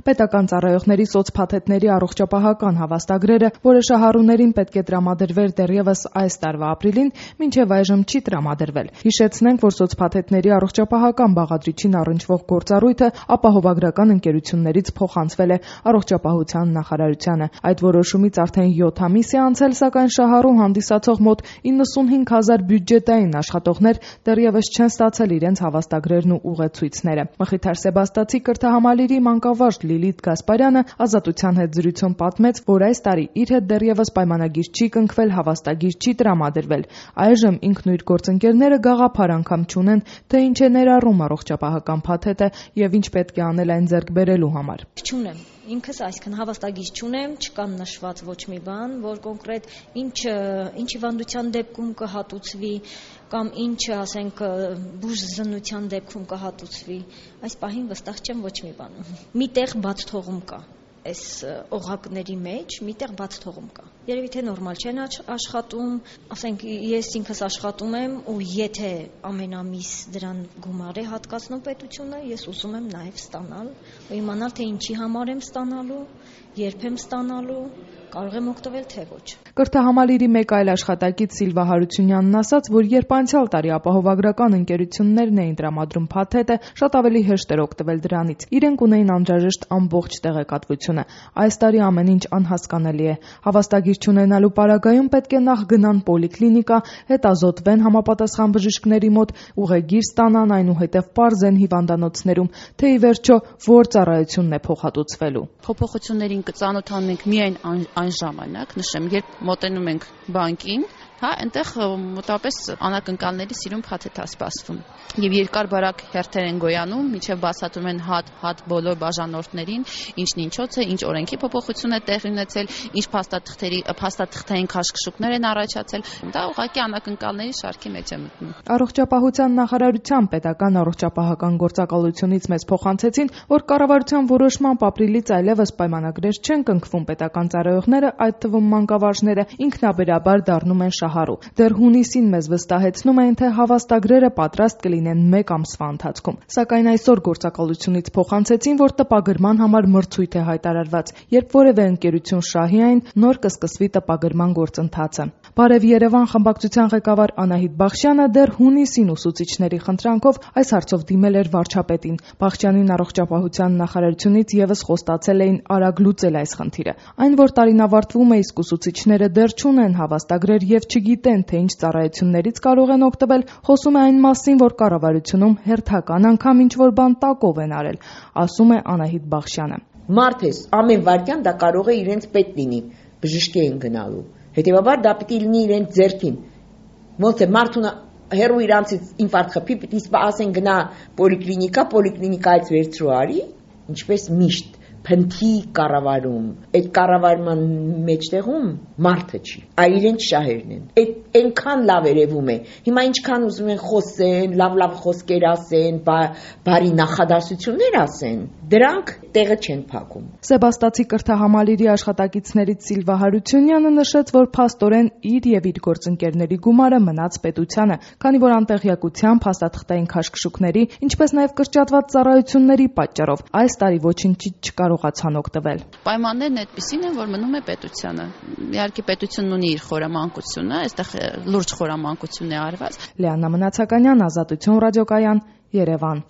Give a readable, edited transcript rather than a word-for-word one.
Պետական ծառայողների սոցփաթեթների առողջապահական հավաստագրերը, որը շահառուներին պետք է տրամադրվեր դեռևս այս տարվա ապրիլին, մինչև այժմ չի տրամադրվել։ Հիշեցնենք, որ սոցփաթեթների առողջապահական բաղադրիչին առնչվող գործառույթը ապահովագրական ընկերություններից փոխանցվել է Առողջապահության նախարարությանը։ Այդ որոշումից արդեն 7 ամիս է անցել, սակայն շահառու հանդիսացող մոտ 95,000 բյուջետային աշխատողներ դեռևս չեն ստացել իրենց հավաստագրերն ու ուղեցույցները։ Մխիթար Սեբաստացի կրթահամալիրի մանկավարժ Լիլիթ Գասպարյանը Ազատության հետ զրույցում պատմեց, որ այս տարի իր հետ դեռևս պայմանագիր չի կնքվել, հավաստագիր չի տրամադրվել։ Այժմ ինքն ու իր գործընկերները գաղափար անգամ չունեն, թե ինչ է ներառում առողջապահական փաթեթը եւ ինչ պետք է անել այն ձեռք բերելու համար։ Չունեմ ինքս, այսքան հավաստագիր չունեմ, չկան նշված ոչ մի բան, որ կոնկրետ ինչ հիվանդության դեպքում կհատուցվի կամ ինչ, ասենք, բուժզնության դեպքում կհատուցվի։ Այս պահին վստահ չեմ ոչ մի բան։ Միտեղ բաց թողում կա։ Այս օղակների մեջ միտեղ բաց թողում կա։ Երևի թե նորմալ չեն աշխատում, ասենք ես ինքս աշխատում եմ ու եթե ամեն ամիս դրան գումար է հատկացնում պետությունը, ես ուզում եմ նաև ստանալ ու իմանալ թե ինչի համար եմ ստանալու, երբ եմ ստանալու, կարող եմ օգտվել թե ոչ։ Կրթահամալիրի մեկ այլ աշխատակից Սիլվա Հարությունյանն ասաց, որ երբ անցյալ տարի ապահովագրական ընկերություններն էին տրամադրում փաթեթը, շատ ավելի հեշտ էր օգտվել դրանից։ Իրենք ունեին անհրաժեշտ ամբողջ տեղեկատվությունը։ Այս տարի ամեն ինչ անհասկանալի է։ Հավաստագիր չունենալու պարագայում պետք է նախ գնան պոլիկլինիկա, հետազոտվեն համապատասխան բժիշկների մոտ, ուղեգիր ստանան, այնուհետև պարզեն հիվանդանոցներում, թե ի վերջո որ ծառայությունն է փոխհատուցվելու։ Փոփոխություններին կծանոթանում ենք միայն այն ժամանակ, նշեմ, երբ մոտենում ենք բանկին, այնտեղ մոտավորապես անակնկալների սիրուն փաթեթ է սպասվում։ Եվ երկար-բարակ հերթեր են գոյանում, մինչև բացատրում են հատ բոլոր բաժանորդներին, ինչն ինչոց է, ինչ օրենքի փոփոխություն է տեղի ունեցել, ինչ փաստաթղթային քաշքշուկներ են առաջացել։ Դա ուղղակի անակնկալների շարքի մեջ է մտնում։ Առողջապահության նախարարության պետական առողջապահական գործակալությունից մեզ փոխանցեցին, որ կառավարության որոշմամբ ապրիլից այլևս պայմանագրեր չեն կնքվում, պետական ծառայողները, այդ թվում մանկավարժները, ինքնաբերաբար դառնում են շահառու։ Դեռ հունիսին մեզ վստահեցնում էին, թե հավաստագրերը պատրաստ կլինեն 1 ամսվա ընթացքում։ Սակայն այսօր գործակալությունից փոխանցեցին, որ տպագրման համար մրցույթ է հայտարարված։ Երբ որևէ ընկերություն շահի այն, նոր կսկսվի տպագրման գործընթացը։ Բարև Երևան խմբակցության ղեկավար Անահիտ Բախշյանը դեռ հունիսին ուսուցիչների խնդրանքով այս հարցով դիմել էր վարչապետին։ Բախշյանին առողջապահության նախարարությունից եւս խոստացել էին արագ լուծել այս խնդիրը։ Այն, որ տարին ավարտվում է, իսկ ուսուցիչները դեռ չունեն հավաստագրեր եւ չգիտեն, թե ինչ ծառայություններից կարող են օգտվել, խոսում է այն մասին, որ կառավարությունում հերթական անգամ ինչ-որ բան տակով են արել, ասում է Անահիտ Բախշյանը։ Մարդ ես, ամեն վայրկյան դա կարող է իրենց պետ լինի, բժշկի են գնալու, հետևաբար դա պիտի լինի իրենց ձեռքին, ոնց է մարդուն հերու իրանցից ինֆարկտ խփի, պիտի ասեն գնա պոլիկլինիկայից վերցրու արի, ինչպես միշտ փնթի կառավարում, այդ կառավարման մեջտեղում մարդը չի, այլ իրենց շահերն են։ Այդ այնքան լավ երևում է։ Հիմա ինչքան ուզում են խոսեն, լավ խոսքեր ասեն, բարի նախադասություններ ասեն, դրանք տեղը չեն փակում։ Սեբաստացի կրթահամալիրի աշխատակիցներից Սիլվա Հարությունյանը նշեց, որ փաստորեն իր եւ իր գործընկերների գումարը մնաց պետությանը, քանի որ անտեղյակության, փաստաթղթային քաշքշուկների, ինչպես նաեւ կրճատված ծառայությունների պատճառով այս տարի ոչինչից չկարողացան օգտվել։ Պայմաններն այդպիսին են, որ մնում է պետությանը։ Իհարկե պետությունն ունի իր խորամանկությունը, այստեղ լուրջ խորամանկություն է արված։ Լիաննա Մնացականյան, Ազատություն ռադիոկայան, Երևան։